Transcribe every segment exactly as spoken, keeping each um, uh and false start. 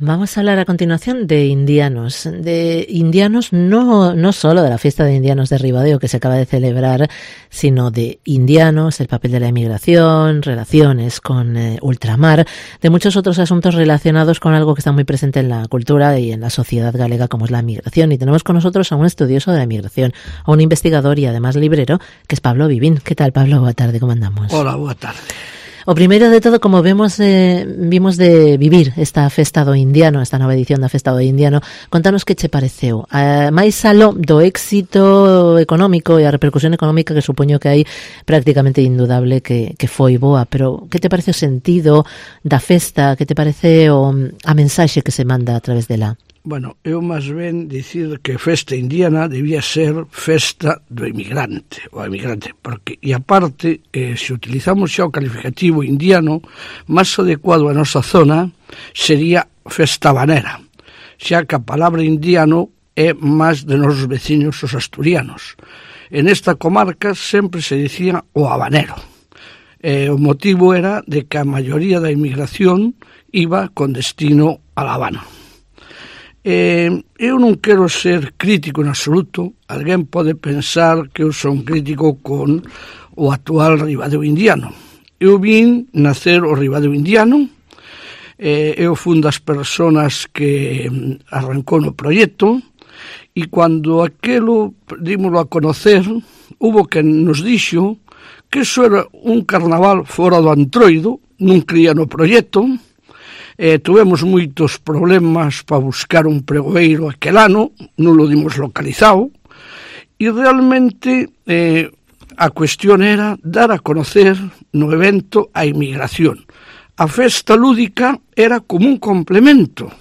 Vamos a hablar a continuación de indianos, de indianos no, no solo de la fiesta de indianos de Ribadeo que se acaba de celebrar, sino de indianos, el papel de la inmigración, relaciones con eh, ultramar, de muchos otros asuntos relacionados con algo que está muy presente en la cultura y en la sociedad galega como es la migración. Y tenemos con nosotros a un estudioso de la migración, a un investigador y además librero, que es Pablo Vivín. ¿Qué tal, Pablo? Boa tarde, ¿cómo andamos? Hola, boa tarde. O primeiro de todo, como vemos, eh, vimos de vivir esta festa do indiano, esta nova edición da festa do indiano, contanos que che pareceu. Eh, máis aló do éxito económico e a repercusión económica que supoño que hai prácticamente indudable que, que foi boa, pero que te parece o sentido da festa, que te parece o, a mensaxe que se manda a través dela? Bueno, eu máis ben dicir que festa indiana debía ser festa do emigrante, o emigrante, porque, e aparte, eh, se utilizamos xa o calificativo indiano, máis adecuado a nosa zona sería festa habanera, xa que a palabra indiano é máis de nosos veciños os asturianos. En esta comarca sempre se dicía o habanero. Eh, o motivo era de que a maioría da emigración iba con destino a La Habana. Eh, eu non quero ser crítico en absoluto. Alguén pode pensar que eu son crítico con o actual Ribadeo indiano. Eu vin nacer o Ribadeo indiano, eh, eu fui das persoas que arrancou no proxecto, e cando aquelo dímoslo a conocer, hubo quen nos dixo que iso era un carnaval fora do antroido, non cría no proxecto. Eh, tuvemos moitos problemas para buscar un pregoeiro aquel ano, non lo dimos localizado, e realmente eh, a cuestión era dar a conocer no evento a inmigración. A festa lúdica era como un complemento,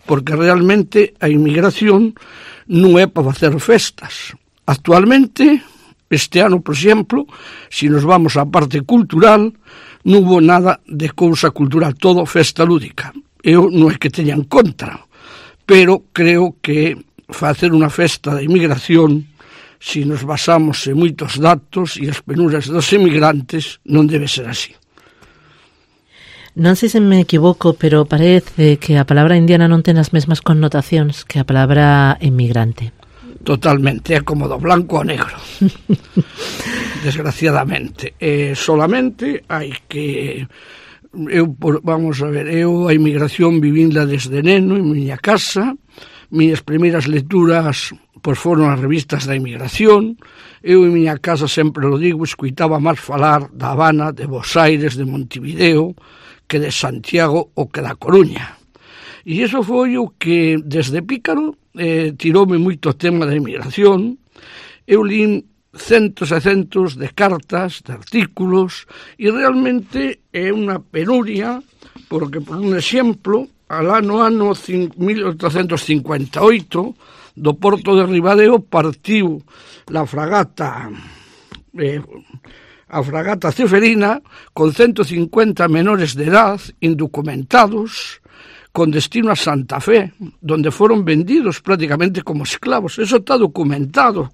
porque realmente a inmigración non é para facer festas. Actualmente, este ano, por exemplo, se nos vamos á parte cultural, non hubo nada de cousa cultural, todo festa lúdica. Eu non é que teña en contra, pero creo que facer unha festa de inmigración, se nos basamos en moitos datos e as penurias dos emigrantes, non debe ser así. Non sei se me equivoco, pero parece que a palabra indiana non ten as mesmas connotacións que a palabra emigrante. Totalmente, é como do blanco ao negro. Desgraciadamente. Eh, solamente hai que... Eu, vamos a ver, eu a inmigración vivinla desde neno en miña casa. Miñas primeiras lecturas pois foron as revistas da inmigración. Eu en miña casa, sempre lo digo, escuitaba máis falar da Habana, de Buenos Aires, de Montevideo, que de Santiago ou que da Coruña. E iso foi o que, desde pícaro, eh, tiroume moito tema da inmigración. Eu lín centos e centos de cartas, de artículos, e realmente é unha penuria, porque, por un exemplo, alá no ano mil oitocentos cincuenta e oito, do porto de Ribadeo partiu la fragata eh, a fragata Ceferina con ciento cincuenta menores de edad indocumentados con destino a Santa Fe, donde foron vendidos prácticamente como esclavos. Eso está documentado.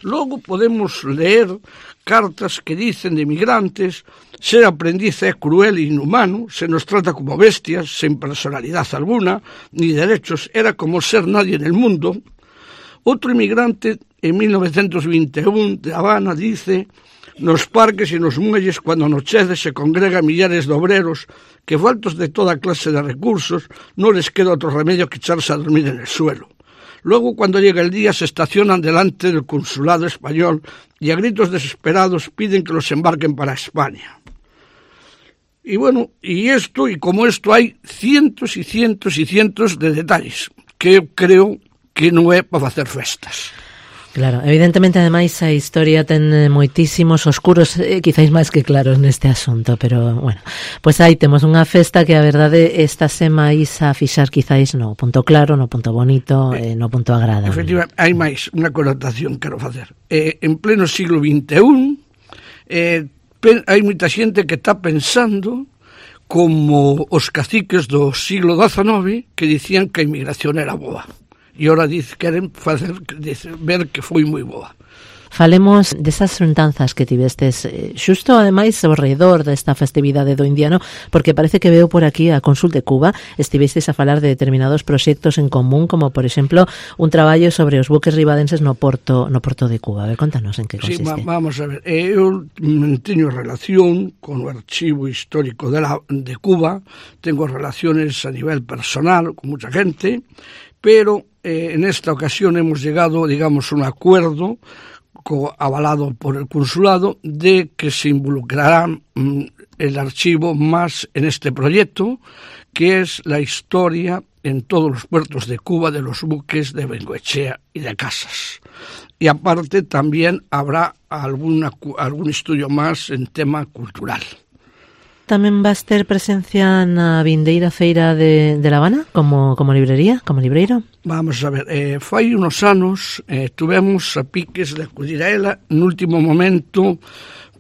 Logo podemos leer cartas que dicen de migrantes: ser aprendiz é cruel e inhumano, se nos trata como bestias, sin personalidad alguna, ni derechos, era como ser nadie en el mundo. Outro inmigrante, en mil novecientos vinte e un, de Habana, dice: nos parques e nos muelles, cando anochece, se congrega millares de obreros que, faltos de toda clase de recursos, non les queda outro remedio que echarse a dormir en el suelo. Luego, cuando llega el día, se estacionan delante del consulado español y a gritos desesperados piden que los embarquen para España. Y bueno, y esto, y como esto hay cientos y cientos y cientos de detalles que eu creo que non é para facer festas. Claro, evidentemente, ademais, a historia ten moitísimos oscuros, eh, quizáis máis que claros neste asunto, pero, bueno, pois aí temos unha festa que a verdade estase máis a fixar quizáis no punto claro, no punto bonito, eh, no punto agradable. Efectivamente, hai máis unha connotación que quero facer. Eh, en pleno siglo vinte e un, eh, pe, hai moita xente que está pensando como os caciques do siglo dezenove que dicían que a inmigración era boa. E ora diz, queren facer, dice, ver que foi moi boa. Falemos desas xuntanzas que tivestes eh, xusto ademais ao redor desta festividade do indiano, porque parece que veo por aquí a Cónsul de Cuba, estivestes a falar de determinados proxectos en común, como por exemplo un traballo sobre os buques ribadenses no porto no porto de Cuba. A ver, contanos en que consiste. Sí, va, vamos a ver, eu teño relación con o archivo histórico de, la, de Cuba, tengo relaciones a nivel personal con mucha gente, pero eh, en esta ocasión hemos llegado, digamos, a un acuerdo co, avalado por el consulado de que se involucrará mm, el archivo más en este proyecto, que es la historia en todos los puertos de Cuba de los buques de Bengoechea y de Casas. Y aparte también habrá alguna, algún estudio más en tema cultural. Tamén vas ter presencia na vindeira feira de, de La Habana como, como librería, como libreiro? Vamos a ver, eh, fai unos anos eh, tuvemos a piques de acudir a ela no último momento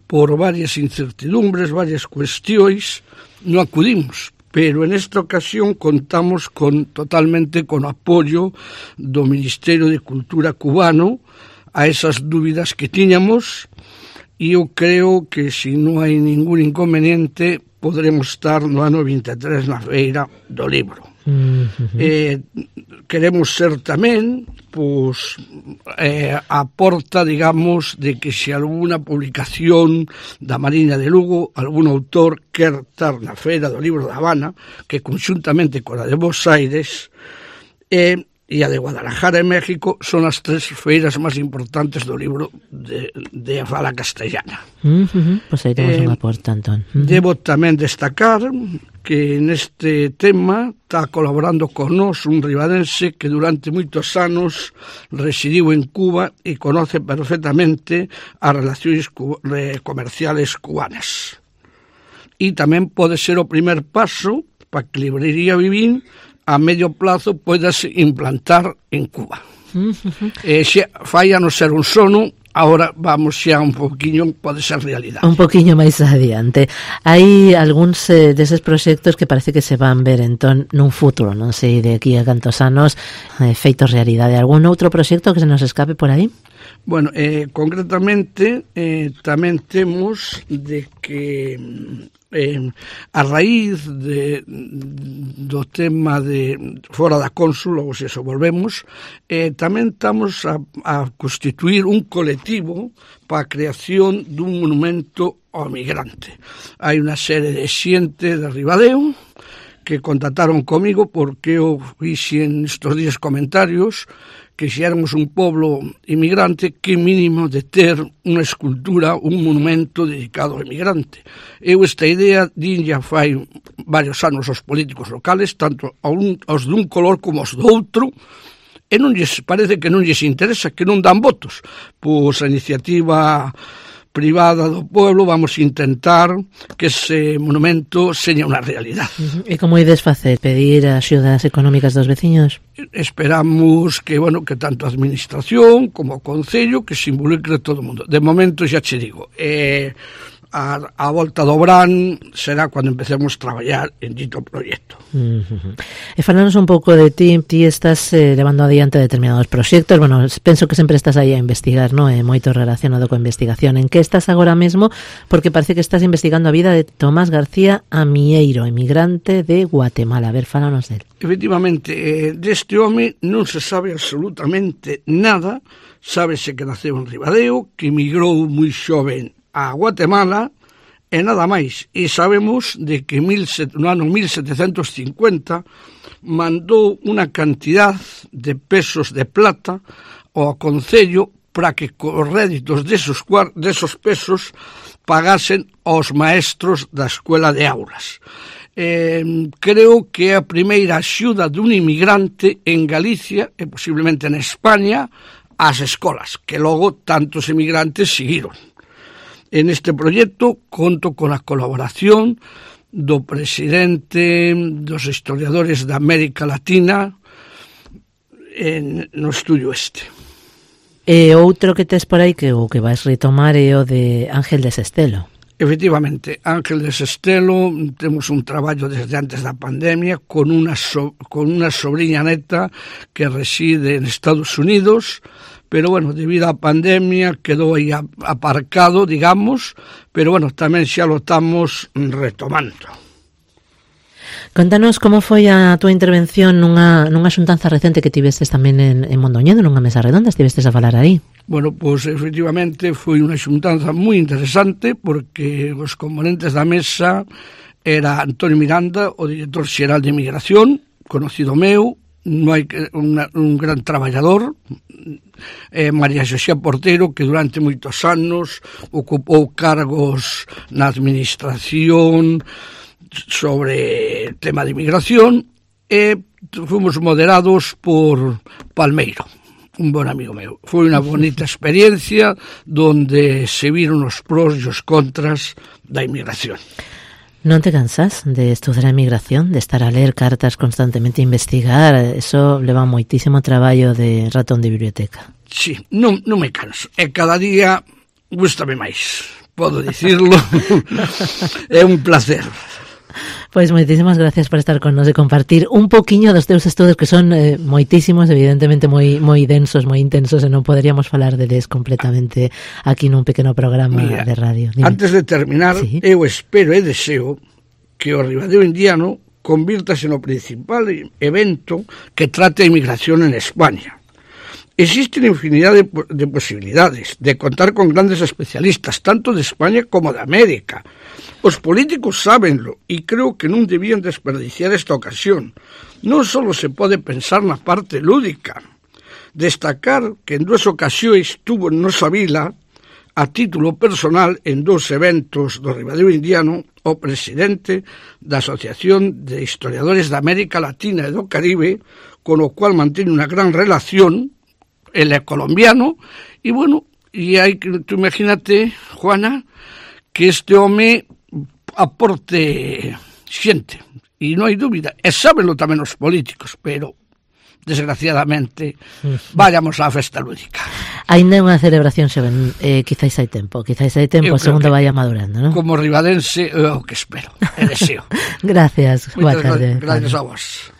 por varias incertidumbres, varias cuestións, non acudimos, pero en esta ocasión contamos con totalmente con o apoio do Ministerio de Cultura cubano a esas dúbidas que tiñamos. E eu creo que se non hai ningún inconveniente poderemos estar no ano vinte e tres na feira do libro. Uh-huh. Eh, queremos ser tamén pois, eh, a porta, digamos, de que se alguna publicación da Mariña de Lugo, algún autor quer estar na feira do libro da Habana, que conxuntamente con a de Buenos Aires eh, e a de Guadalajara en México son as tres feiras máis importantes do libro de, de fala castellana. Uh-huh. Pois aí temos eh, unha porta, Antón. Uh-huh. Debo tamén destacar que neste tema está colaborando con nós un ribadense que durante moitos anos residiu en Cuba e conoce perfectamente as relacións cu- comerciales cubanas. E tamén pode ser o primer paso para que Librería Vivín a medio plazo podes implantar en Cuba. Uh-huh. Eh, xe, fai a non ser un sono, agora vamos xa un poquinho, pode ser realidade. Un poquinho máis adiante. Hai algúns eh, deses proxectos que parece que se van ver entón nun futuro, non sei de aquí a cantos anos, eh, feitos realidade. Algún outro proxecto que se nos escape por aí? Bueno, eh, concretamente eh, tamén temos de que eh, a raíz de, do tema de fora da cónsul, ou se eso volvemos, eh, tamén estamos a, a constituir un colectivo para a creación dun monumento ao migrante. Hai unha serie de xente de Ribadeo que contactaron comigo porque eu fixe en estos días comentarios que se éramos un pueblo inmigrante, que mínimo de ter unha escultura, un monumento dedicado ao inmigrante. Eu esta idea din ya fai varios anos aos políticos locales, tanto aos dun color como aos do outro, e non lles parece que non lles interesa, que non dan votos. Pois a iniciativa privada do pueblo vamos a intentar que ese monumento seña unha realidade. Uh-huh. E como ides facer? Pedir axudas económicas dos veciños? Esperamos que, bueno, que tanto a administración como o concello que se involucre todo o mundo. De momento xa che digo, eh, a, a volta do Brán será cando empecemos a traballar en dito proxecto. Uh-huh. E falanos un pouco de ti, ti estás eh, levando adiante determinados proxectos, bueno, penso que sempre estás aí a investigar, non? É moito relacionado coa investigación. En que estás agora mesmo? Porque parece que estás investigando a vida de Tomás García Amieiro, emigrante de Guatemala. A ver, falanos del. Efectivamente, eh, deste home non se sabe absolutamente nada. Sábese que naceu en Ribadeo, que emigrou moi xoven a Guatemala e nada máis. E sabemos de que no ano mil setecentos cincuenta mandou unha cantidad de pesos de plata ao concello para que os réditos desos, desos pesos pagasen aos maestros da escuela de aulas. Eh, creo que é a primeira axuda dun inmigrante en Galicia e posiblemente en España ás escolas, que logo tantos inmigrantes seguiron. En este proxecto conto con a colaboración do presidente dos historiadores da América Latina en, no estudio este. E outro que tes por aí que o que vais retomar é o de Ángel de Sestelo. Efectivamente, Ángel de Sestelo, temos un traballo desde antes da pandemia con unha, so, con unha sobrinha neta que reside en Estados Unidos, pero bueno, debido á pandemia quedou aí aparcado, digamos, pero bueno, tamén xa lo estamos retomando. Contanos como foi a túa intervención nunha, nunha xuntanza recente que tivestes tamén en, en Mondoñedo, nunha mesa redonda, estivestes a falar aí. Bueno, pois pues, efectivamente foi unha xuntanza moi interesante porque os componentes da mesa era Antonio Miranda, o director xeral de Migración, conocido meu, non hai una, un gran traballador, eh, María Xosé Portero, que durante moitos anos ocupou cargos na administración sobre tema de inmigración, e fomos moderados por Palmeiro, un bon amigo meu. Foi unha bonita experiencia donde se viron os pros e os contras da inmigración. Non te cansas de estudar a inmigración, de estar a ler cartas constantemente, investigar? Eso leva moitísimo traballo de ratón de biblioteca. Sí, non, non me canso. E cada día gústame máis, podo dicirlo. É un placer. Pois moitísimas gracias por estar con nos e compartir un poquiño dos teus estudos, que son eh, moitísimos, evidentemente moi moi densos, moi intensos, e non poderíamos falar deles completamente aquí nun pequeno programa. Mira, de radio. Dime. Antes de terminar, sí, eu espero e deseo que o Ribadeo Indiano convírtase no principal evento que trate a inmigración en España. Existen infinidad de, de posibilidades de contar con grandes especialistas, tanto de España como de América. Os políticos sábenlo e creo que non debían desperdiciar esta ocasión. Non só se pode pensar na parte lúdica. Destacar que en dúas ocasións estuvo en nosa vila, a título personal, en dous eventos do Ribadeo Indiano, o presidente da Asociación de Historiadores da América Latina e do Caribe, con o cual mantén unha gran relación, el é colombiano, e bueno, e hai que, tú imagínate, Juana, que este home aporte xente, e non hai dúbida, e sábenlo tamén os políticos, pero desgraciadamente vayamos á festa lúdica. Ainda é unha celebración xoven, eh, quizáis hai tempo, quizáis hai tempo, segundo vaya madurando, non? Como ribadense, é o que espero, e deseo. Gracias, boa tarde. Gracias a vos.